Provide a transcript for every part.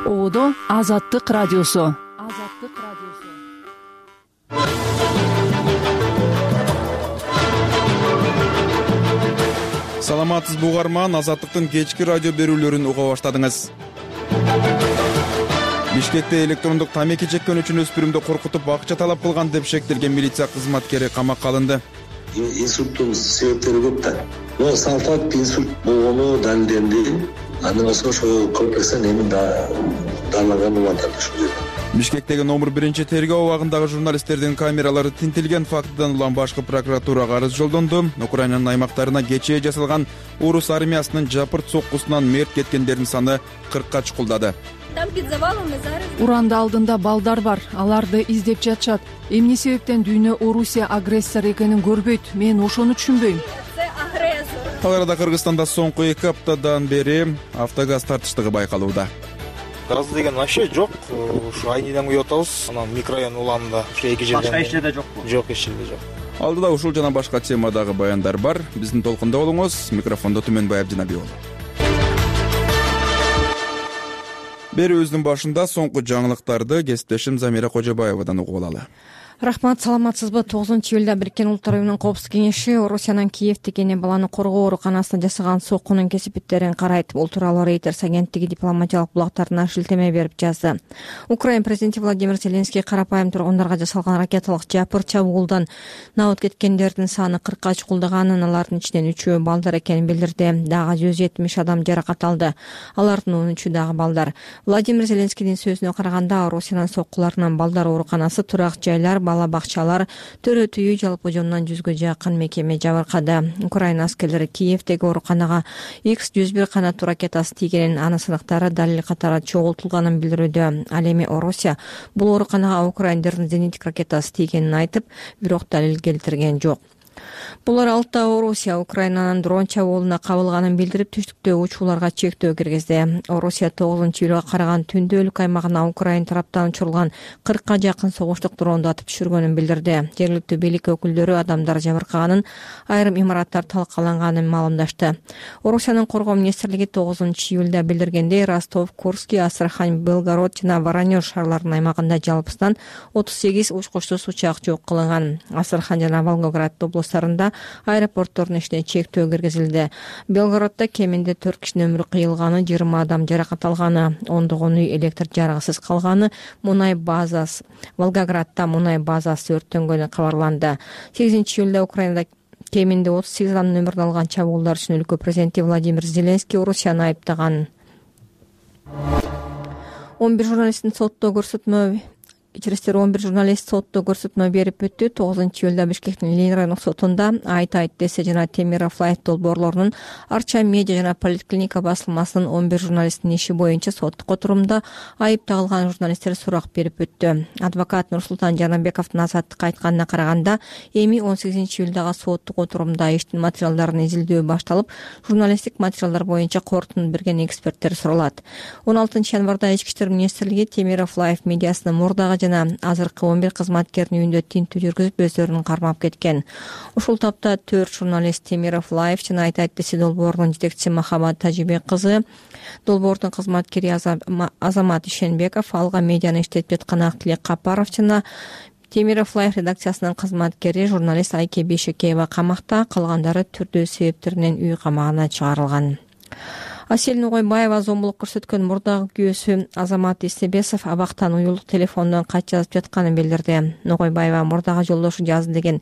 Оодо Азаттык радиосу. Саламатсызбы угарман, Азаттыктын кечки радио берүүлөрүн уга баштадыңыз. Бишкекте электрондук тамеки чеккен үчүн өспүрүмдү коркутуп акча талап кылган деп шектелген милиция кызматкери камакка алынды. Инсульттун себептери көп да. Но сал факт инсульт болгону далилденди. Андан соң ошол комплекстен эми дарлаган улантат ушул жерде. Бишкектеги номер 1 тергөө абагындагы журналисттердин камералары тинтилген фактыдан улам башкы прокуратурага арыз жолдонду. Украинанын аймактарына кечээ жасалган орус армиясынын жапырт соккусунан мерт кеткендердин саны 40ка чукулдады. Уранда алдында балдар бар, аларды издеп жатышат. Эмне себептен дүйнө Орусия агрессор экенин көрбөйт? Мен ошону түшүнбөйм. Ал арада Кыргызстанда соңку 2 аптадан бери автогаз тартыштыгы байкалууда. Газ деген вообще жок. Ушу айнидан куюп атабыз. Анан микрорайон уланында ушу эки жерден. Башка эч жерде жокпу? Жок, эч жерде жок. Алдыда ушул жана башка темадагы баяндар бар. Биздин толкунда болуңуз. Микрофондо Түмөнбай Абдинабиев. Берүүбүздүн башында соңку жаңылыктарды кесиптешим Замира Кожобаевадан угуп алалы. Рахмат, саламатсызбы? 9-июлда Бириккен Улуттар уюмунун Коопсуздук кеңеши Орусиянын Киевдеги эне баланы коргоо ооруканасына жасаган соккунун кесипеттерин карайт. Бул тууралуу Reuters агенттиги дипломатиялык булактарына шилтеме берип жазды. Украина президенти Владимир Зеленский карапайым тургундарга жасалган ракеталык жапыр чабуулдан набыт кеткендердин саны 40ка чукулдаганын, алардын ичинен 3-өө балдар экенин билдирди. Дагы 170 адам жаракат алды. Алардын 13-ü дагы балдар. Владимир Зеленскийдин сөзүнө караганда, Орусиянын соккуларынан балдар ооруканасы, турак жайлар, бала бакчалар, төрөт үйү, жалпы жонунан 100гө жакын мекеме жабыркады. Украина аскерлери Киевдеги ооруканага X-101 канаттуу ракетасы тийгенин, анын сынактары далил катары чогултулганын билдирүүдө. Ал эми Орусия бул ооруканага украиндердин зенитик ракетасы тийгенин айтып, бирок далил келтирген жок. Бул аралыкта Орусия Украинанын дрон чабуулуна кабылганын билдирип, түштүктө учууларга чектөө киргизди. Орусия 9-июлга караган түндө өлкө аймагына Украина тараптан учурулган 40ка жакын согуштук дронду атып түшүргөнүн билдирди. Жергиликтүү бийлик өкүлдөрү адамдар жабыркаганын, айрым имараттар талкаланганын маалымдашты. Орусиянын коргоо министрлиги 9-июлда билдиргендей, Ростов, Курский, Астрахань, Белгород жана Воронеж шаарларынын аймагында жалпысынан 38 учкучсуз учак жок кылынган. Астрахань жана Волгоград облустарында аэропорттордун ишине чектөө киргизилди. Белгороддо кеминде 4 кишинин өмүрү кыйылганы, 20 адам жаракат алганы, ондогон үй электр жарыгысыз калганы, мунай базасы, Волгоградда мунай базасы өрттөнгөнү кабарланды. 8-июлда Украинада кеминде 38 адамдын өмүрүн алган чабуулдар үчүн өлкө президенти Владимир Зеленский Орусияны айыптаган. 11 журналисттин сотто көрсөтмө 11 журналист сотто көрсөтмө берип өттү. 9-июлда Бишкектин Ленин райондук сотунда Айт десе жана Темиров Лайф долбоорлорунун Арча медиа жана поликлиника басылмасынын 11 журналисттин иши боюнча соттук отурумда айып тагылган журналисттер сурак берип өттү. Адвокат Нурсултан Жанабековдун Азаттыкка айтканына караганда, эми 18-июлдагы соттук отурумда иштин материалдарын изилдөө башталып, журналисттик материалдар боюнча корутуну берген эксперттер суралат. 16 январда Ички иштер министрлиги Темиров Лайф медиасынын мурдагы жана азыркы 11 кызматкердин үйүндө тинтүү жүргүзүп, өздөрүн кармап кеткен. Ушул тапта 4 журналист Темиров Лайф жана Айт десе долбоорунун жетекчиси Махабат Тажибек кызы, долбоордун кызматкери Азамат Ишенбеков, Алга медианы иштетип жаткан Актилек Капаров жана Темиров Лайф редакциясынын кызматкери журналист Айке Бейшекеева камакта, калгандары түрдүү себептеринен үй камагына чыгарылган. Асель Нугойбаева зомбулук көрсөткөн мурдагы күйөөсү Азамат Истебесов абактан уюлдук телефондон кат жазып жатканын билдирди. Нугойбаева мурдагы жолдошу жазды деген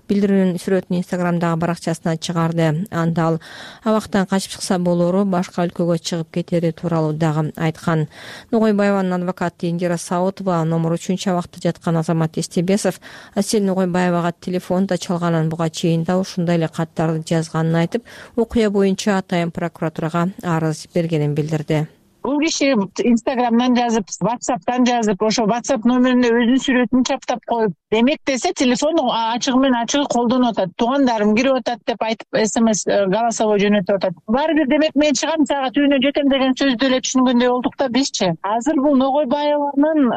билдирүүнүн сүрөтүн Инстаграмдагы баракчасына чыгарды. Анда ал абактан качып чыкса болору, башка өлкөгө чыгып кетери тууралуу дагы айткан. Нугойбаеванын адвокаты Индира Саутова номер 3 абакта жаткан Азамат Истебесов Асель Нугойбаевага телефонду чалганын, буга чейин да ушундай эле каттарды жазганын айтып, окуя боюнча атайын прокуратурага арыз бергенин билдирди. Бул киши Инстаграмдан жазып, WhatsApp'тан жазып, ошо WhatsApp номерине өзүнүн сүрөтүн чаптап коюп, демек десе телефон ачыгы менен ачыгы колдонуп атат. Туугандарым кирип атат деп айтып, SMS голосовой жөнөтүп атат. Баары бир демек мен чыгам сага үйүнө жетем деген сөздү эле түшүнгөндөй болдук да бизчи. Азыр бул Ногойбаеванын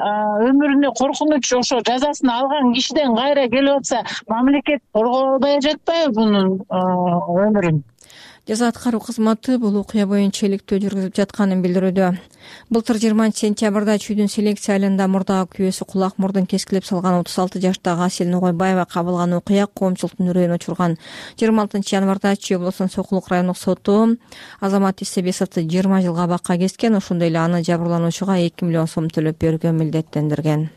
өмүрүнө коркунуч, ошо жазасын алган кишиден кайра келип атса, мамлекет коргобой жатпайбы бунун өмүрүн? Жаза аткаруу кызматы бул окуя боюнча иликтөө жүргүзүп жатканын билдирүүдө. Былтыр 20-сентябрда чүйдүн селекция айылында мурдагы күйөөсү кулак мурдун кескилеп салган 36 жаштагы Асель Нугойбаева кабылган окуя коомчулуктун үрөйүн учурган. 26 январда Чүй облусунун Сокулук райондук соту Азамат Исебесовду 20 жылга абакка кескен, ошондой эле аны жабырлануучуга 2 миллион сом төлөп берүүгө милдеттендирген.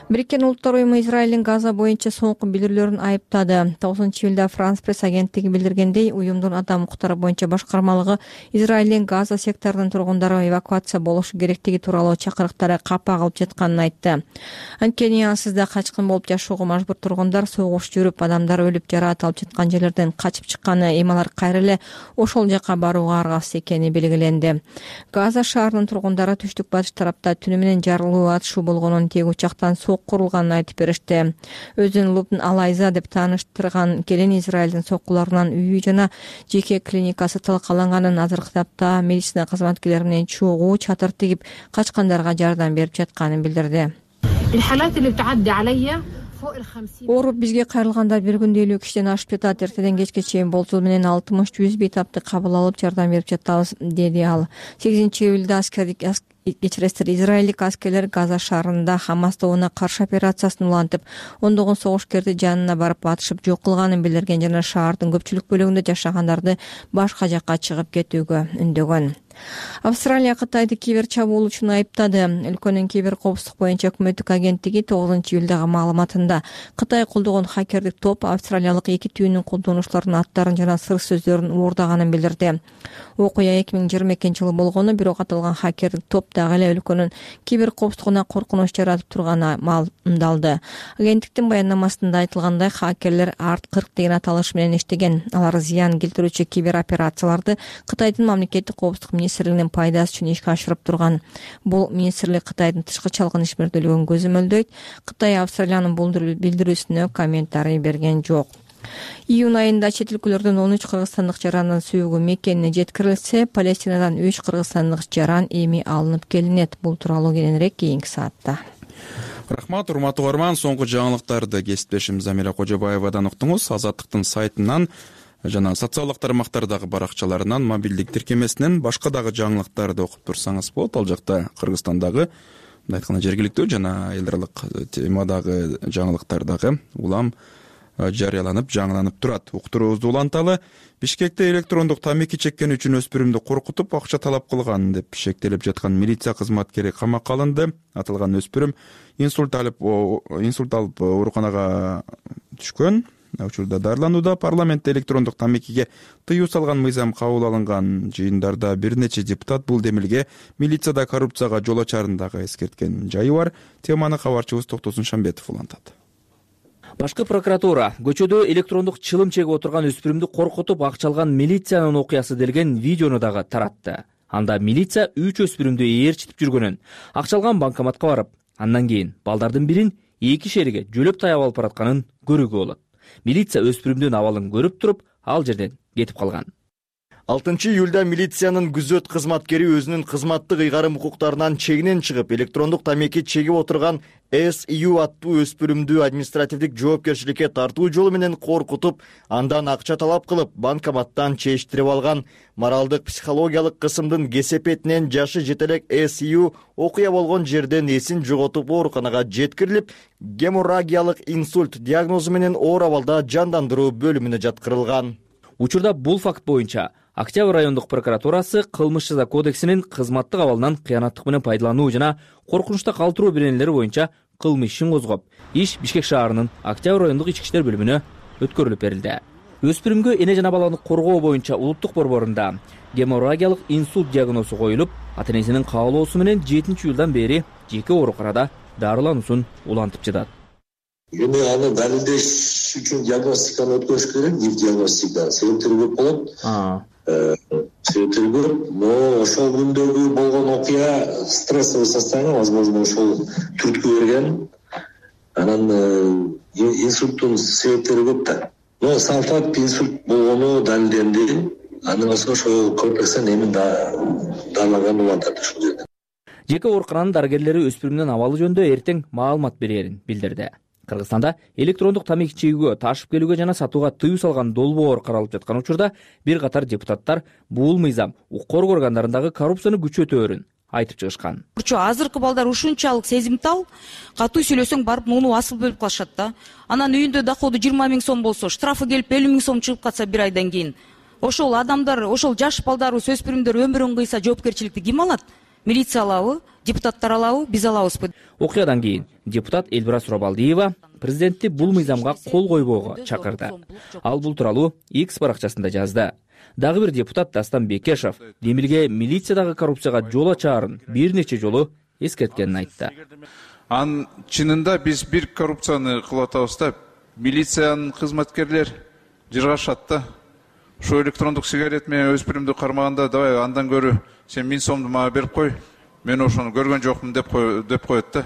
Бириккен Улуттар уюму Израилдин Газа боюнча соңку билдирүүлөрүн айыптады. 9-июлда Франс пресс агенттиги билдиргендей, уюмдун адам укуктары боюнча башкармалыгы Израилдин Газа секторунун тургундары эвакуация болушу керектиги тууралуу чакырыктары капа кылып жатканын айтты. Анткени ансызда качкын болуп жашоого мажбур тургундар согуш жүрүп, адамдар өлүп жараат алып жаткан жерлерден качып чыкканы, эми алар кайра эле ошол жака барууга аргасыз экени белгиленди. Газа шаарынын тургундары түштүк батыш тарапта түнү менен жарылуу атышуу болгонун, тег учактан курулганын айтып беришти. Өзүн Лубн Алайза деп тааныштырган келин Израилдин соккуларынан үйү жана жеке клиникасы талкаланганын, азыркы тапта медицина кызматкерлери менен чогуу чатыр тигип качкандарга жардам берип жатканын билдирди. Ооруп бизге кайрылгандар бир күндө 50 кишиден ашып жатат. Эртеден кечке чейин болжол менен 60-100 бейтапты кабыл алып жардам берип жатабыз, деди ал. 8-июлда израилдик аскерлер Газа шаарында Хамас тобуна каршы операциясын улантып, ондогон согушкерди жанына барып атышып жок кылганын билдирген жана шаардын көпчүлүк бөлүгүндө жашагандарды башка жакка чыгып кетүүгө үндөгөн. Австралия Кытайды кибер чабуул үчүн айыптады. Өлкөнүн кибер коопсуздук боюнча өкмөттүк агенттиги 9-июлдагы маалыматында Кытай колдогон хакердик топ австралиялык эки түйүнүн колдонуучуларынын аттарын жана сыр сөздөрүн уурдаганын билдирди. Окуя 2022-жылы болгону, бирок аталган хакердик топ дагы эле өлкөнүн кибер коопсуздугуна коркунуч жаратып турганы маалымдалды. Агенттиктин баяндамасында айтылгандай, хакерлер ART-40 деген аталыш менен иштеген. Алар зыян келтирүүчү кибер операцияларды Кытайдын мамлекеттик коопсуздук министрлигинин пайдасы үчүн ишке ашырып турган. Бул министрлик Кытайдын тышкы чалгын ишмердүүлүгүн көзөмөлдөйт. Кытай Австралиянын бул билдирүүсүнө комментарий берген жок. Июнь айында чет өлкөлөрдөн 13 кыргызстандык жарандын сүйүгү Меккене жеткирилсе, Палестинадан 3 кыргызстандык жаран эми алынып келинет. Бул тууралуу кийинирээк кийинки саатта. Рахмат, урматтуу угарман. Соңку жаңылыктарды кесиптешим Замира Кожобаевадан уктуңуз. Азаттыктын сайтынан жана социалдык тармактардагы баракчаларынан, мобилдик тиркемесинен башка дагы жаңылыктарды окуп турсаңыз болот. Ал жакта Кыргызстандагы, мындай айтканда жергиликтүү жана эл аралык темадагы жаңылыктар дагы улам жарыяланып, жаңыланып турат. Уктуруубузду уланталы. Бишкекте электрондук тамеки чеккен үчүн өспүрүмдү коркутуп, акча талап кылган деп шектелип жаткан милиция кызматкери камакка алынды. Аталган өспүрүм инсульт алып ооруканага түшкөн. Учурда дарыланууда. Парламентте электрондук тамекиге тыюу салган мыйзам кабыл алынган. Жыйындарда бир нече депутат бул демилге милицияда коррупцияга жол ачарын дагы эскерткен жайы бар. Теманы кабарчыбыз Токтосун Шамбетов улантат. Башкы прокуратура көчөдө электрондук чылым чегип отурган өспүрүмдү коркутуп акча алган милициянын окуясы делген видеону дагы таратты. Анда милиция 3 өспүрүмдү ээрчитип жүргөнүн, акча алган банкоматка барып, андан кийин балдардын бирин 2 шериге жөлөп таяп алып баратканын көрүүгө болот. Милиция өспүрүмдүн абалын көрүп туруп, ал жерден кетип калган. 6-июлда милициянын күзөт кызматкери өзүнүн кызматтык ыйгарым укуктарынан чегинен чыгып, электрондук тамеки чегип отурган SU аттуу өспүрүмдү административдик жоопкерчиликке тартуу жолу менен коркутуп, андан акча талап кылып, банкоматтан чечтирип алган. Моралдык психологиялык кысымдын кесепетинен жашы жетелек SU окуя болгон жерден эсин жоготуп ооруканага жеткирилип, геморрагиялык инсульт диагнозу менен оор абалда жандандыруу бөлүмүнө жаткырылган. Учурда бул факт боюнча Октябрь райондук прокуратурасы кылмыш жаза кодексинин кызматтык абалынан кыянаттык менен пайдалануу жана коркунучта калтыруу беренелери боюнча кылмыш ишин козгоп, иш Бишкек шаарынын Октябрь райондук ички иштер бөлүмүнө өткөрүлүп берилди. Өспүрүмгө эне жана баланы коргоо боюнча улуттук борборунда геморрагиялык инсульт диагнозу коюлуп, ата-энесинин каалоосу менен 7-июлдан бери жеке ооруканада дарылануусун улантып жатат. Эми аны далилдеш үчүн диагностиканы өткөрүш керек, диагностика себептери көп болот. Себептери көп, но ошол күндөгү болгон окуя стрессовый состояние, возможно, ошол түрткү берген. Анан инсульттун себептери көп да. Но салтап инсульт болгону далилденди. Андан соң ошол комплекстен эми дарыланган болуп атат ушул жерде. Жеке оорукананын дарыгерлери өспүрүмдүн абалы жөнүндө эртең маалымат берерин билдирди. Кыргызстанда электрондук тамеки чегүүгө, ташып келүүгө жана сатууга тыюу салган долбоор каралып жаткан учурда бир катар депутаттар бул мыйзам укук органдарындагы коррупцияны күчөтөөрүн айтып чыгышкан. Азыркы балдар ушунчалык сезимтал, катуу сүйлөсөң барып муну асыл бөлүп калышат да. Анан үйүндө доходу 20 000 сом болсо, штрафы келип 50 000 сом чыгып калса бир айдан кийин, ошол адамдар, ошол жаш балдарыбыз, өспүрүмдөр өмүрүн кыйса жоопкерчиликти ким алат? Милиция алабы, депутаттар алабы, биз алабызбы? Окуядан кийин депутат Элбира Сурабалдиева президентти бул мыйзамга кол койбоого чакырды. Ал бул тууралуу X баракчасында жазды. Дагы бир депутат Дастан Бекешев Демилге милициядагы коррупцияга жол ачаарын бир нече жолу эскерткенин айтты. Чынында биз бир коррупцияны кылып атабыз да, милициянын кызматкерлер жыргашат да. Ошо электрондук сигарет менен өспүрүмдү кармаганда, давай андан көрү сен 1000 сомду мага берип кой, мен ошону көргөн жокмун деп коет да.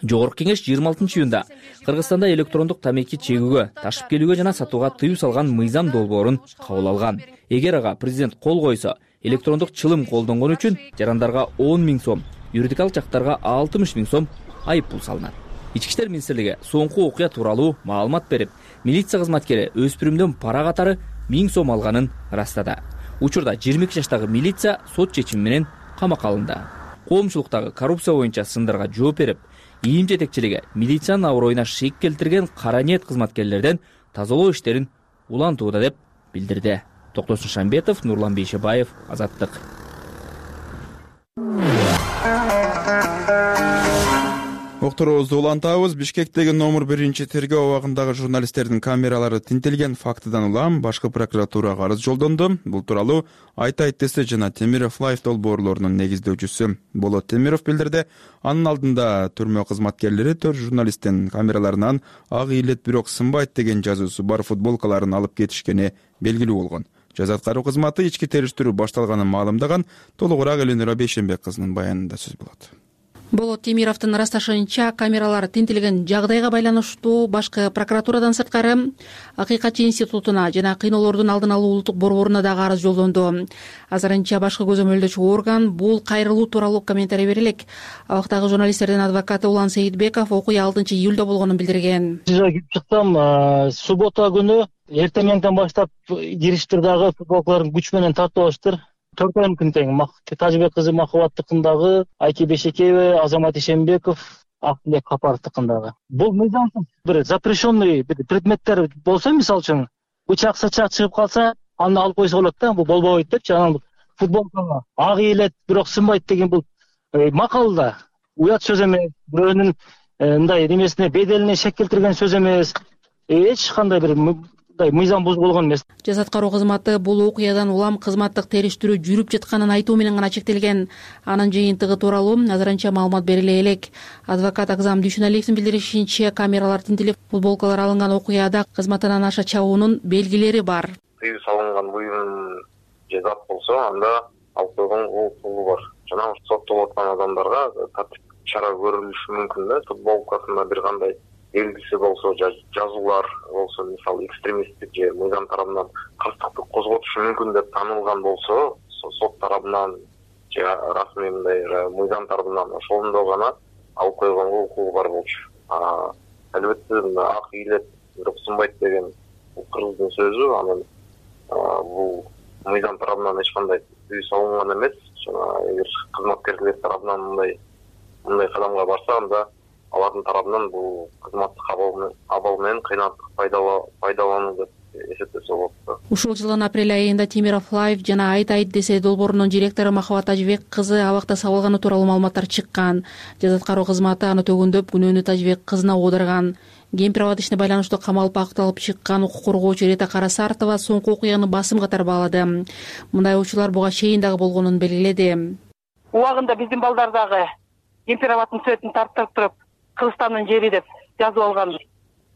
Жогорку кеңеш 26-июнда Кыргызстанда электрондук тамеки чегүүгө, ташып келүүгө жана сатууга тыюу салган мыйзам долбоорун кабыл алган. Эгер ага президент кол койсо, электрондук чылым колдонгон үчүн жарандарга 10 000 сом, юридикалык жактарга 60 000 сом айып пул салынат. Ички иштер министрлиги соңку окуя тууралуу маалымат берип, милиция кызматкери өспүрүмдөн пара катары 1000 сом алганын ырастады. Учурда 22 жаштагы милиция сот чечими менен камакка алынды. Коомчулуктагы коррупция боюнча сындарга жооп берип, ИИМ жетекчилиги милициянын аброюна шек келтирген кара ниет кызматкерлерден тазалоо иштерин улантууда деп билдирди. Токтосун Шамбетов, Нурлан Бейшебаев, Азаттык. Окторубузду улантабыз. Бишкектеги номер 1 тергөө абагындагы журналисттердин камералары тинтелген фактыдан улам башкы прокуратурага арыз жолдонду. Бул тууралуу Айтайт десе жана Темиров Лайф долбоорлорунун негиздөөчүсү Болот Темиров билдирди. Анын алдында түрмө кызматкерлери 4 журналисттин камераларынан ак ийилет бирок сынбайт деген жазуусу бар футболкаларын алып кетишкени белгилүү болгон. Жаза аткаруу кызматы ички териштирүү башталганын маалымдаган. Толугураак Элинура Бейшенбек кызынын баянында сөз болот. Болот Темировдун ырасташынча, камералар тинтелген жагдайга байланыштуу башкы прокуратурадан сырткары Акыйкатчы институтуна жана кыйноолордун алдын алуу улуттук борборуна дагы арыз жолдонду. Азырынча башкы көзөмөлдөөчү орган бул кайрылуу тууралуу комментарий бере элек. Абактагы журналисттердин адвокаты Улан Сейитбеков окуя 6-июлда болгонун билдирген. Кирип чыксам, суббота күнү эртең менен баштап кириштир дагы футболкаларын күч менен тартып алыштыр. 4 айым тең Тажыбек кызы Махабаттыкындагы, Айки Бешекеева, Азамат Ишенбеков, Акылбек Капаровдукындагы. Бул мыйзамсыз бир запрещенный предметтер болсо, мисалы үчүн, бычак сачак чыгып калса, аны алып койсо болот да, бул болбойт депчи. Анан футболкага ак ийилет, бирок сынбайт деген бул макал да. Уят сөз эмес, бирөөнүн мындай немесине, беделине шек келтирген сөз эмес. Эч кандай бир мыйзам бузуп болгон эмес. Жаза аткаруу кызматы бул окуядан улам кызматтык териштирүү жүрүп жатканын айтуу менен гана чектелген. Анын жыйынтыгы тууралуу азырынча маалымат бериле элек. Адвокат Акзам Дүйшүналиевдин билдиришинче, камералар тинтелип, футболкалар алынган окуяда кызматынан аша чабуунун белгилери бар. Тыюу салынган буюм же зат болсо, анда алып койгон укугу бар. Жана соттолуп аткан адамдарга тартип чара көрүлүшү мүмкүн да. Футболкасында бир кандай белгиси болсо, жазуулар болсо, мисалы экстремисттик же мыйзам тарабынан каршылыкты козготушу мүмкүн деп таанылган болсо, сот тарабынан же расмий мындай мыйзам тарабынан ошондо гана алып койгонго укугу бар болчу. Албетте ак ийилет, бирок сынбайт деген кыргыздын сөзү, анан бул мыйзам тарабынан эч кандай тыюу салынган эмес. Жана эгер кызматкерлер тарабынан мындай кадамга барса, анда алардын тарабынан бул кызматтык абал менен кыйнаттык пайдалануу деп эсептесе болот. Ушул жылдын апрель айында Темиров Лайф жана Айтайт десе долбоорунун директору Махабат Тажыбек кызы абакта сабылганы тууралуу маалыматтар чыккан. Жаза аткаруу кызматы аны төгүндөп, күнөөнү Тажыбек кызына оодарган. Кемпир абад ишине байланыштуу камалып акталып чыккан укук коргоочу Рета Карасартова соңку окуяны басым катары баалады. Мындай учурлар буга чейин дагы болгонун белгиледи. Убагында биздин балдар дагы кемпир абадтын сүрөтүн тарттырып туруп, Кыргызстандын жери деп жазып алган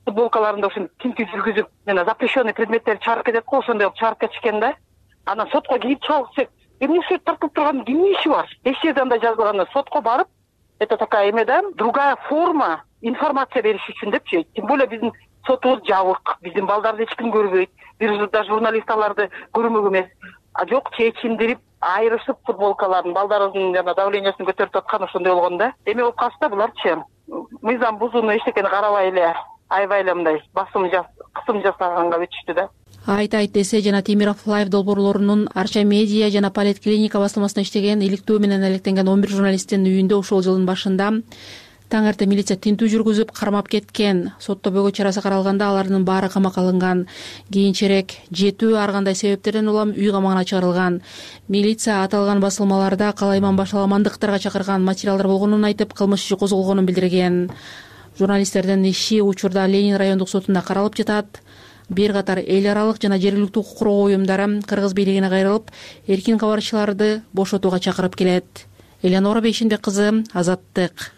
футболкаларында ушун тинтүү жүргүзүп, жана запрещенный предметтер чыгарып кетет го, ошондой кылып чыгарып кетишкен да. Анан сотко кирип чалсак, эмне сүрөт тартылып турган кимдин иши бар? Эч жерде андай жазылган, сотко барып, это такая эме да, другая форма информация бериш үчүн депчи. Тем более биздин сотубуз жабык, биздин балдарды эч ким көрбөйт, бир да журналист аларды көрмөк эмес. Жок, чечиндирип, айрышып футболкаларын, балдарыбыздын жана давлениясын көтөрүп аткан ошондой болгон да. Эме болуп калса буларчы мыйзам бузууну эчтекени карабай эле аябай эле мындай кысым жасаганга өтүштү да. Айтайт десе жана Темиров Лайв долбоорлорунун Арча медиа жана Политклиника басылмасында иштеген иликтөө менен алектенген 11 журналисттин үйүндө ушул жылдын башында таң эрте милиция тинтүү жүргүзүп кармап кеткен. Соттобөйгө чарасы каралганда алардын баары камакка алынган. Кийинчерээк 7 ар кандай себептерден улам үй камагына чыгарылган. Милиция аталган басылмаларда калайман башаламандыктарга чакырган материалдар болгонун айтып, кылмыш иши козголгонун билдирген. Журналисттердин иши учурда Ленин райондук сотунда каралып жатат. Бир катар эл аралык жана жергиликтүү укук коргоо уюмдары Кыргыз бийлигине кайрылып, эркин кабарчыларды бошотууга чакырып келет. Элеонора Бейшенбек кызы, Азаттык.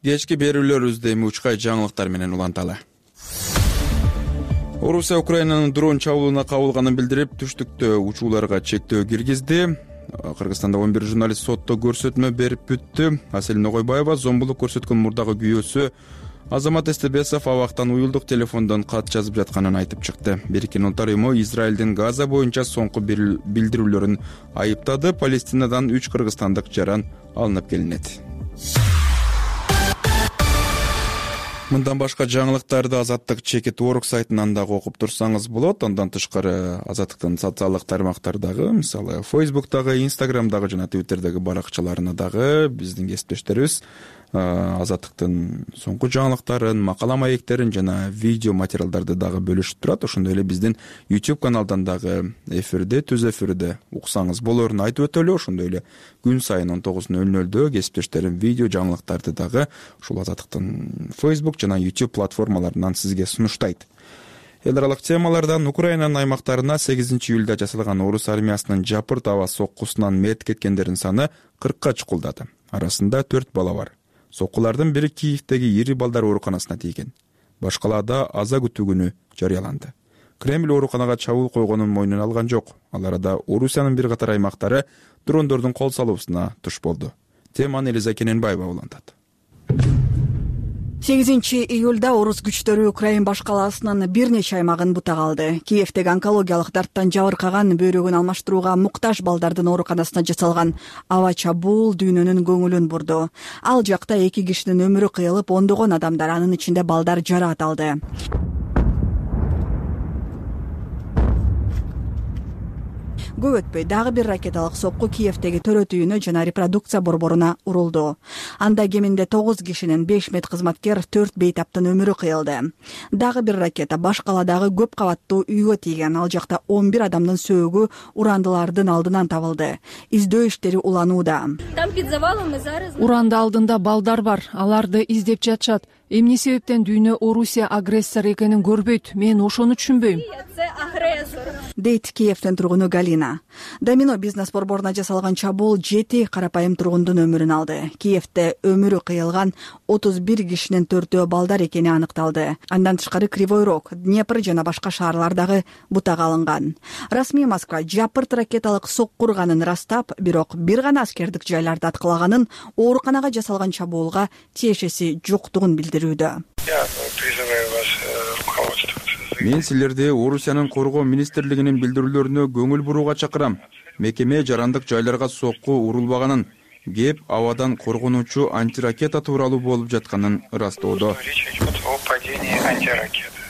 Кечки берүүлөрүбүздө эми учкай жаңылыктар менен уланталы. Орусия Украинанын дрон чабуулуна кабылганын билдирип, түштүктө учууларга чектөө киргизди. Кыргызстанда 11 журналист сотто көрсөтмө берип бүттү. Аселин Огойбаева зомбулук көрсөткөн мурдагы күйөөсү Азамат Эстебесов абактан уюлдук телефондон кат жазып жатканын айтып чыкты. Бириккен Улуттар уюму Израилдин Газа боюнча соңку билдирүүлөрүн айыптады. Палестинадан 3 кыргызстандык жаран алынып келинет. Мындан башка жаңылыктарды Азаттык чекит орг сайтынан дагы окуп турсаңыз болот. Андан тышкары Азаттыктын социалдык тармактардагы, мисалы Facebook'тагы, Instagram'дагы жана Twitter'дагы баракчаларына дагы биздин кесиптештерибиз Азаттыктын соңку жаңылыктарын, макала маектерин жана видео материалдарды дагы бөлүшүп турат. Ошондой эле биздин YouTube каналдан дагы эфирде, түз эфирде уксаңыз болорун айтып өтөлү. Ошондой эле күн сайын 19:00 кесиптештерим видео жаңылыктарды дагы ушул Азаттыктын Facebook жана YouTube платформаларынан сизге сунуштайт. Эл аралык темалардан Украинанын аймактарына 8-июлда жасалган орус армиясынын жапырт аба соккусунан мерт кеткендердин саны 40ка чукулдады. Арасында 4 бала бар. Соккулардын бири Киевдеги ири балдар ооруканасына тийген. Башкаларда аза күтүү күнү жарыяланды. Кремль ооруканага чабуул койгонун мойнуна алган жок. Ал арада Орусиянын бир катар аймактары дрондордун кол салуусуна туш болду. Теманы Элиза Кененбаева улантат. 8-июлда орус күчтөрү Украин баш калаасынын бир нече аймагын бутак алды. Киевдеги онкологиялык дарттан жабыркаган, бөйрөгүн алмаштырууга муктаж балдардын ооруканасына жасалган аба чабуул дүйнөнүн көңүлүн бурду. Ал жакта 2 кишинин өмүрү кыйылып, ондогон адамдар, анын ичинде балдар жараат алды. Көп өтпөй дагы бир ракеталык сокку Киевдеги төрөт үйүнө жана репродукция борборуна урулду. Анда кеминде 9 кишинин 5 медкызматкер, 4 бейтаптын өмүрү кыйылды. Дагы бир ракета баш каладагы көп кабаттуу үйгө тийген. Ал жакта 11 адамдын сөөгү урандылардын алдынан табылды. Издөө иштери уланууда. Уранды алдында балдар бар. Аларды издеп жатышат. Эмне себептен дүйнө Орусия агрессор экенин көрбөйт? Мен ошону түшүнбөйм. Дейт Киевдин тургуну Галина. Домино бизнес борборуна жасалган чабуул 7 карапайым тургундун өмүрүн алды. Киевде өмүрү кыйылган 31 кишинин 4-өө балдар экени аныкталды. Андан тышкары Кривой Рог, Днепр жана башка шаарлардагы бутак алынган. Расмий Москва жапырт ракеталык сокку урганын ырастап, бирок бир гана аскердик жайларды аткылаганын, ооруканага жасалган чабуулга тиешеси жоктугун билдирүүдө. Мен силерди Орусиянын коргоо министрлигинин билдирүүлөрүнө көңүл бурууга чакырам. Мекеме жарандык жайларга сокку урулбаганын, кеп абадан коргонуучу антиракета тууралуу болуп жатканын ырастоодо.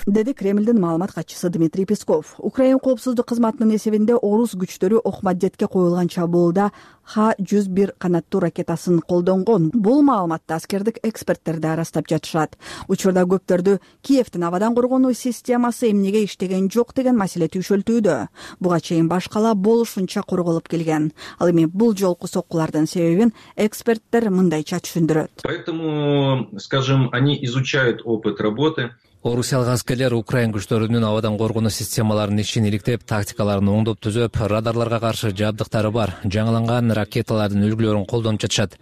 Деди Кремлдин маалымат катчысы Дмитрий Песков. Украин коопсуздук кызматынын эсебинде орус күчтөрү Охмаддетке коюлган чабуулда Х-101 канаттуу ракетасын колдонгон. Бул маалыматты аскердик эксперттер да ырастап жатышат. Учурда көптөрдү Киевдин абадан коргонуу системасы эмнеге иштеген жок деген маселе түйшөлтүүдө. Буга чейин баш кала болушунча корголуп келген. Ал эми бул жолку соккулардын себебин эксперттер мындайча түшүндүрөт. Поэтому, скажем, они изучают опыт работы. Орусиялык аскерлер Украин күчтөрүнүн абадан коргонуу системаларынын ишин иликтеп, тактикаларын оңдоп түзөп, радарларга каршы жабдыктары бар жаңыланган ракеталардын үлгүлөрүн колдонуп жатышат.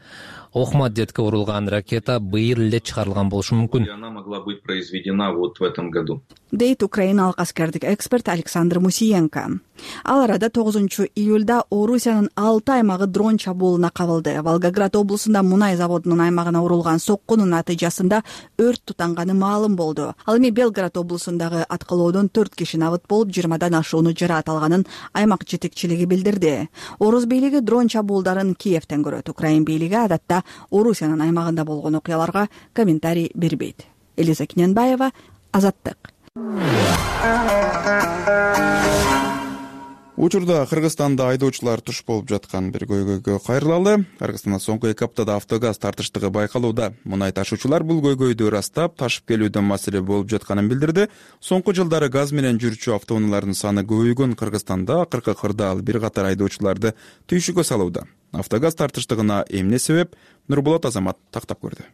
Охмаддетке урулган ракета быйыл эле чыгарылган болушу мүмкүн. Она могла быть произведена вот в этом году. Дейт украиналык аскердик эксперт Александр Мусиенко. Ал арада 9-июлда Орусиянын 6 аймагы дрон чабуулуна кабылды. Волгоград облусунда мунай заводунун аймагына урулган соккунун натыйжасында өрт тутанганы маалым болду. Ал эми Белград облусундагы аткылоодон 4 киши набыт болуп, 20дан ашууну жараат алганын аймак жетекчилиги билдирди. Орус бийлиги дрон чабуулдарын Киевден көрөт. Украин бийлиги адатта Орусиянын аймагында болгон окуяларга комментарий бербейт. Элиза Кененбаева, Азаттык. Учурда Кыргызстанда айдоочулар туш болуп жаткан бир көйгөйгө кайрылалы. Кыргызстанда соңку 2 аптада автогаз тартыштыгы байкалууда. Мунай ташуучулар бул көйгөйдү ырастап, ташып келүүдө маселе болуп жатканын билдирди. Соңку жылдары газ менен жүрчү автоунаалардын саны көбөйгөн Кыргызстанда акыркы кырдаал бир катар айдоочуларды түйшүккө салууда. Автогаз тартыштыгына эмне себеп? Нурболот Азамат тактап көрдү.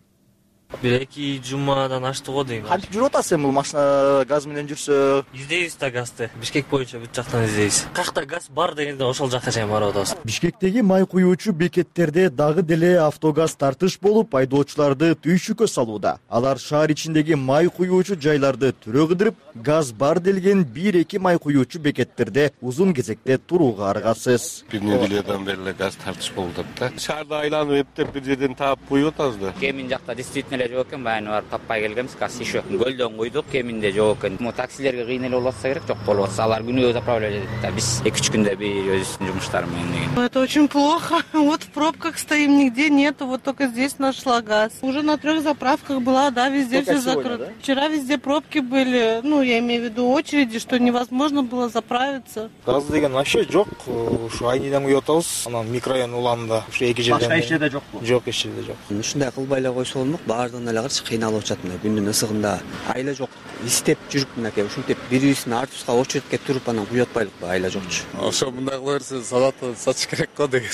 1-2 жумадан ашты го дейм. Кантип жүрүп атасың бул машина газ менен жүрсө? Издейбиз да газды. Бишкек боюнча бүт жактан издейбиз. Каякта газ бар дегенде ошол жакка чейин барып атабыз. Бишкектеги май куюучу бекеттерде дагы деле автогаз тартыш болуп, айдоочуларды түйшүккө салууда. Алар шаар ичиндеги май куюучу жайларды түрө кыдырып, газ бар делген 1-2 май куюучу бекеттерде узун кезекте турууга аргасыз. Бир неделеден бери газ тартыш болуп атат да. Шаарда айланып эптеп бир жерден таап куюп атабыз да. Кемин жакта действительно жок экен, баягы барып таппай келгенбиз, газ еще көлдөн куйдук, кеминде жок экен. Таксилерге кыйнал болуп атса керек, жок болуп атса алар күнөө заправлять этет да. Биз 2-3 күндө бир өзүбүздүн жумуштар менен. Это очень плохо. Вот в пробках стоим, нигде нету, вот только здесь нашла газ. Уже на 3 заправках была, да, везде все закрыто. Да? Вчера везде пробки были, я имею в виду очереди, что невозможно было заправиться. Газ деген вообще жок. Ушу айниден куюп атабыз. Анан микрорайон уланында ушу 2 жерден. Башка иште да жокпу? Жок, эч жерде жок. Ушундай кылбай эле койсо болмок, баардыгына эле каршы кыйналып атышат мына күндүн ысыгында. Айла жок. Истеп жүрүп мынакей ушинтип бирибиздин артыбызга очередке туруп анан куюп атпайлыкпы, айла жокчу. Ошо мындай кыла берсе салатты сатыш керек го деген.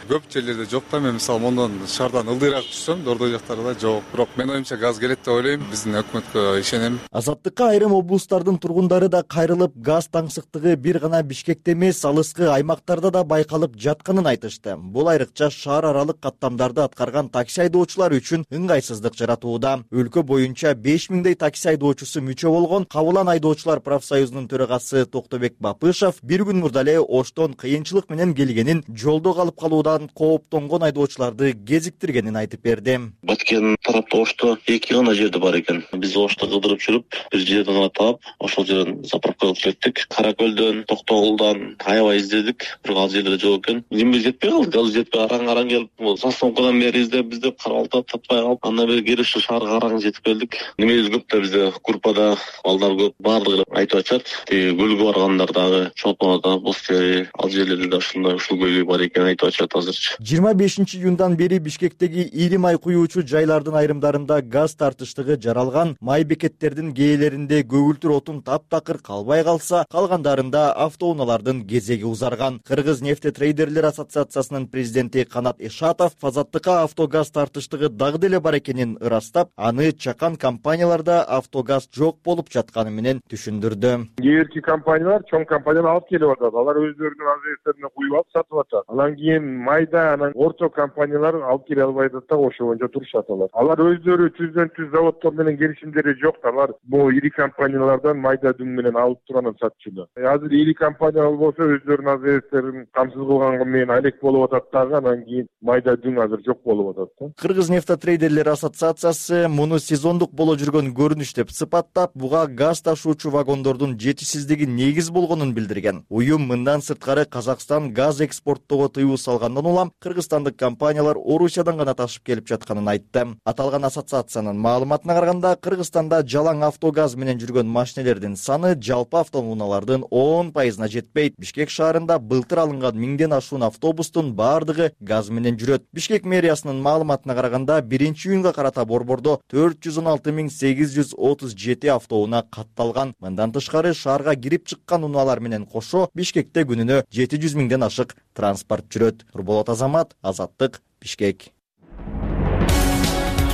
Көп жерлерде жок да, мен мисалы мондон шаардан ылдыйраак түшсөм, Дордой жактарда жок. Бирок мен оюмча газ келет деп ойлойм, биздин өкмөткө ишенем. Азаттыкка айрым облустардын тургундары да кайрылып, газ таңсыктыгы бир гана Бишкекте эмес, алыскы аймактарда да байкалып жатканын айтышты. Бул айрыкча шаар аралык каттамдарды аткарган такси айдоочулар үчүн ыңгайсыздык жаратууда. Өлкө боюнча 5000дей такси айдоочусу мүчө болгон Кабылан айдоочулар профсоюзунун төрагасы Токтобек Бапышев бир күн мурда эле Оштон кыйынчылык менен келгенин, жолдо калып калуудан кооптонгон айдоочуларды кезиктиргенин айтып берди. Баткен тарапта Ошто 2 гана жерде бар экен. Биз Ошто кыдырып жүрүп, бир жерден гана таап, ошол жерден заправкага кеттик. Каракөлдөн, Токтогулдан аябай издедик, бирок ал жерлерде жок экен. Жимбиз жетпей калды, газ жетпей араң келип, Састомкадан бери издеп карабалта таппай калып, андан бери кирип ушу шаарга араң жетип келдик. Немебиз көп да бизде группада балдар көп, баардыгы айтып атышат. Көлгө баргандар дагы, Чолпонода, Бостери, ал жерлерде да ушул көйгөй бар экен айтып атышат азырчы. 25-июндан бери Бишкектеги ири май куюучу жайлардын айрымдарында газ тартыштыгы жаралган. Май бекеттердин кээлеринде көгүлтүр отун таптакыр калбай калса, калгандарында автоунаалардын кезеги узарган. Кыргыз нефтетрейдерлер ассоциациясынын президенти Канат Эшатов Азаттыкка автогаз тартыштыгы дагы деле бар экенин ырастап, аны чакан компанияларда автогаз жок болуп жатканы менен түшүндүрдү. Кээ бирки компаниялар, чоң компаниялар алып келип атат. Алар өздөрүнүн азбектерине куюп алып сатып атат. Анан кийин майда анан орто компаниялар алып келе албай атат да, ошо боюнча турушат алар. Алар өздөрү түздөн-түз заводдор менен келишимдери жок. Алар бул ири компаниялардан майда дүң менен алып туруп анан сатчуда. Азыр ири компаниялар болсо өздөрүнүн азбектерин камсыз кылганга менен алек болуп атат дагы, анан кийин майда дүң азыр жок болуп атат да. Кыргыз нефтетрейдерлер ассоциациясы муну сезондук боло жүргөн көрүнүш деп сыпаттап, буга газ ташуучу вагондордун жетишсиздиги негиз болгонун билдирген. Уюм мындан сырткары Казакстан газ экспорттоого тыюу салгандан улам кыргызстандык компаниялар Орусиядан гана ташып келип жатканын айтты. Аталган ассоциациянын маалыматына караганда, Кыргызстанда жалаң автогаз менен жүргөн машинелердин саны жалпы автоунаалардын 10%-на жетпейт. Бишкек шаарында былтыр алынган 1000ден ашуун автобустун баардыгы газ менен жүрөт. Бишкек мэриясынын маалыматына караганда, 1-июнга карата борбордо 416.837 автоунаа катталган. Мындан тышкары шаарга кирип чыккан унаалар менен кошо Бишкекте күнүнө 700.000ден ашык транспорт жүрөт. Нурболот Азамат, Азаттык, Бишкек.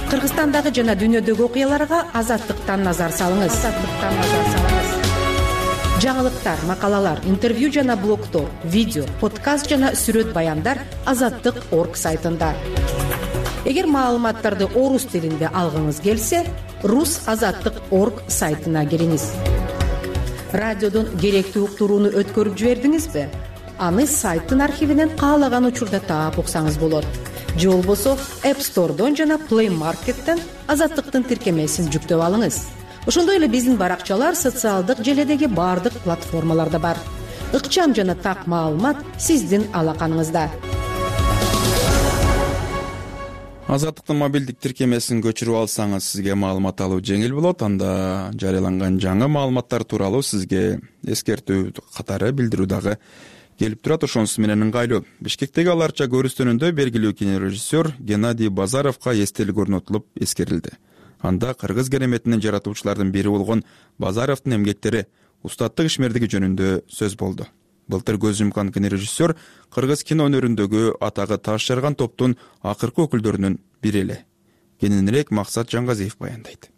Кыргызстандагы жана дүйнөдөгү окуяларга Азаттыктан назар салыңыз. Жаңылыктар, макалалар, интервью жана блогдор, видео, подкаст жана сүрөт баяндар Азаттык.орг сайтында. Эгер маалыматтарды орус тилинде алгыңыз келсе, rusazаттык.орг сайтына кириңиз. Радиодон керектүү уктурууну өткөрүп жибердиңизби? Аны сайттын архивинен каалаган учурда таап уксаңыз болот. Же болбосо App Store'дон жана Play Market'тен Азаттыктын тиркемесин жүктөп алыңыз. Ошондой эле биздин баракчалар социалдык желедеги бардык платформаларда бар. Ыкчам жана так маалымат сиздин алаканыңызда. Азаттыктын мобилдик тиркемесин көчүрүп алсаңыз, сизге маалымат алуу жеңил болот. Анда жарыяланган жаңы маалыматтар тууралуу сизге эскертүү катары билдирүү дагы келип турат. Ошонусу менен ыңгайлуу. Бишкектеги аларча көрүстөнүндө белгилүү кинорежиссер Геннадий Базаровго эстелик орнотулуп эскерилди. Анда кыргыз кереметинин жаратуучулардын бири болгон Базаровдун эмгектери, устаттык ишмердиги жөнүндө сөз болду. Былтыр көз жумкан кинорежиссер кыргыз кино өнөрүндөгү атагы таш жарган топтун акыркы өкүлдөрүнүн бири эле. Кененирээк Максат Жаңгазиев баяндайт.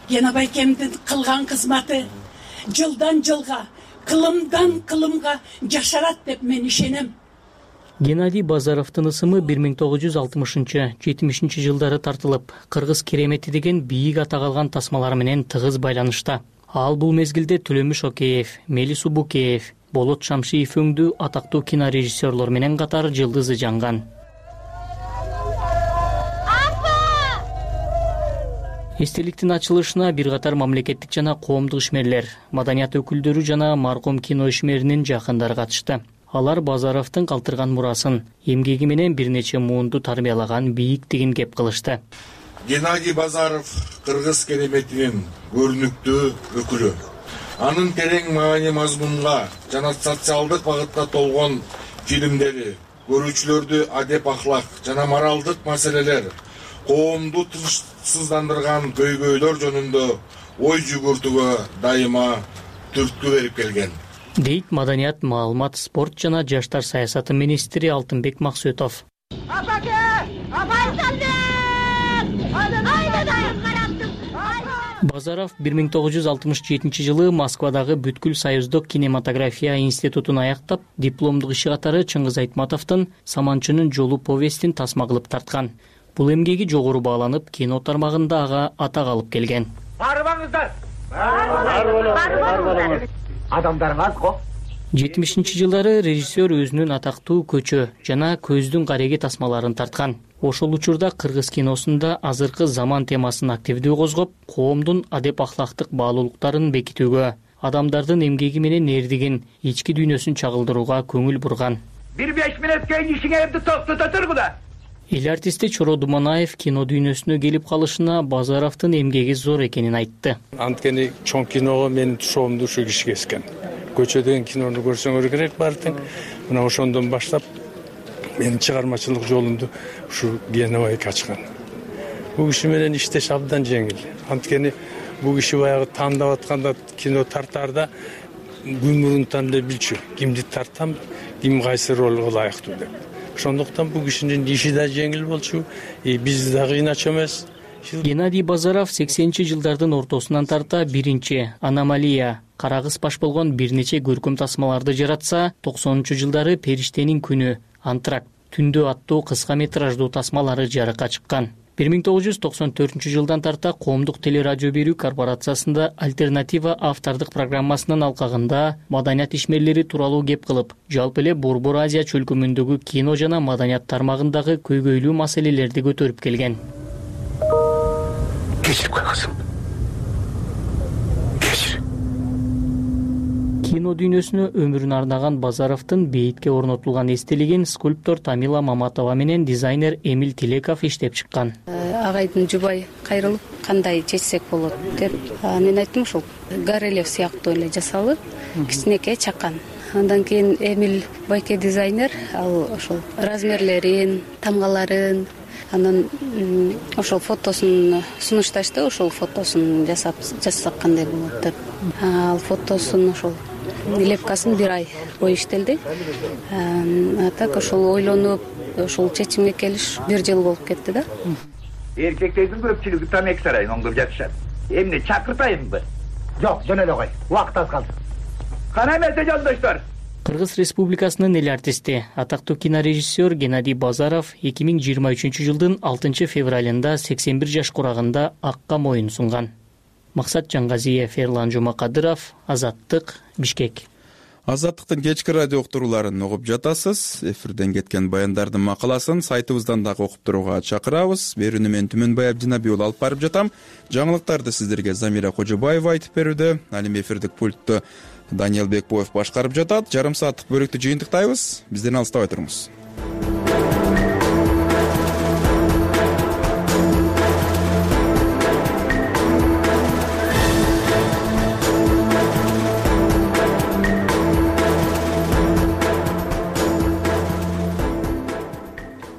Гена байкемдин кылган кызматы жылдан жылга, кылымдан кылымга жашарат деп мен ишенем. Геннадий Базаровдун ысымы 1960-70 жылдары тартылып, кыргыз керемети деген бийик атак алган тасмалар менен тыгыз байланышта. Ал бул мезгилде Төлөмүш Океев, Мелис Убукеев, Болот Шамшиев өңдүү атактуу кинорежиссерлор менен катар жылдызы жанган. Эстеликтин ачылышына бир катар мамлекеттик жана коомдук ишмерлер, маданият өкүлдөрү жана маркум кино ишмеринин жакындары катышты. Алар Базаровдун калтырган мурасын, эмгеги менен бир нече муунду тарбиялаган бийиктигин кеп кылышты. Геннадий Базаров кыргыз кереметинин көрүнүктүү өкүлү. Анын терең маани мазмунга жана социалдык багытта толгон фильмдери көрүүчүлөрдү адеп ахлак жана моралдык маселелер, коомду тынчсыздандырган көйгөйлөр жөнүндө ой жүгүртүүгө дайыма түрткү берип келген, дейт маданият, маалымат, спорт жана жаштар саясаты министри Алтынбек Максөтов. Базаров 1967 жылы Москвадагы Бүткүл союздук кинематография институтун аяктап, дипломдук иши катары Чыңгыз Айтматовдун Саманчынын жолу повестин тасма кылып тарткан. Бул эмгеги жогору бааланып, кино тармагында ага атак алып келген. Барбаңыздар. Адамдарыңыз го. 70-жылдары режиссер өзүнүн атактуу көчө жана көздүн кареги тасмаларын тарткан. Ошол учурда кыргыз киносунда азыркы заман темасын активдүү козгоп, коомдун адеп ахлактык баалуулуктарын бекитүүгө, адамдардын эмгеги менен эрдигин, ички дүйнөсүн чагылдырууга көңүл бурган. 1-5 мүнөт кийин ишиңерди токтото тургула. Эл артисти Чоро Думанаев кино дүйнөсүнө келип калышына Базаровдун эмгеги зор экенин айтты. Анткени чоң киного менин тушоомду ушу киши кескен. Көчөдөгү кинону көрсөңөр керек баардык. Мына ошондон баштап менин чыгармачылык жолумду ушу Геннадий ачкан. Бул киши менен иштеш абдан жеңил. Анткени бул киши баягы тандап атканда кино тартаарда күн мурун тандап билчү. Кимди тартам, ким кайсы ролго ылайыктуу деп. Ошондуктан бул кишинин иши да жеңил болчу, биз да кыйначу эмес. Геннадий Базаров 80-жылдардын ортосунан тарта биринчи «Аномалия», кара кыз паш болгон бир нече көркөм тасмаларды жаратса, 90-жылдары «Периштенин күнү», «Антракт», «Түндө» аттуу кыска метраждуу тасмалары жарыкка чыккан. 1994 жылдан тарта коомдук телерадио берүү корпорациясында альтернатива автордук программасынын алкагында маданият ишмерлери тууралуу кеп кылып, жалпы эле Борбор Азия чөлкөмүндөгү кино жана маданият тармагындагы көйгөйлүү маселелерди көтөрүп келген. Кечирип кой кызым. Кино дүйнөсүнө өмүрүн арнаган Базаровдун бейитке орнотулган эстелигин скульптор Тамила Маматова менен дизайнер Эмил Тилеков иштеп чыккан. Агайдын жубай кайрылып, кандай чечсек болот деп, мен айттым ушул Горелев сыяктуу эле жасалып, кичинекей чакан. Андан кийин Эмил байке дизайнер, ал ошол размерлерин, тамгаларын, анан ошол фотосун сунушташты, ошол фотосун жасасак кандай болот деп. Ал фотосун ошол лепкасын бир ай бою иштелди. Так ошол ойлонуп, ошол чечимге келиш бир жыл болуп кетти да. Эркектердин көпчүлүгү тамеки сарайын оңдоп жатышат. Эмне чакыртайынбы? Жок, жөн эле кой. Убакыт аз калды. Кана эмесе жолдоштор? Кыргыз Республикасынын эл артисти, атактуу кинорежиссер Геннадий Базаров 2023 жылдын 6 февралында 81 жаш курагында акка моюн сунган. Максат Жаңгазиев, Эрлан Жумакадыров, Азаттык, Бишкек. Азаттыктын кечки радио уктурууларын угуп жатасыз. Эфирден кеткен баяндардын макаласын сайтыбыздан дагы окуп турууга чакырабыз. Берүүнү мен Түмөнбай Абдинабий уулу алып барып жатам. Жаңылыктарды сиздерге Замира Кожобаева айтып берүүдө. Ал эми эфирдик пультту Даниэл Бекбоев башкарып жатат. Жарым сааттык бөлүктү жыйынтыктайбыз. Бизден алыстабай туруңуз.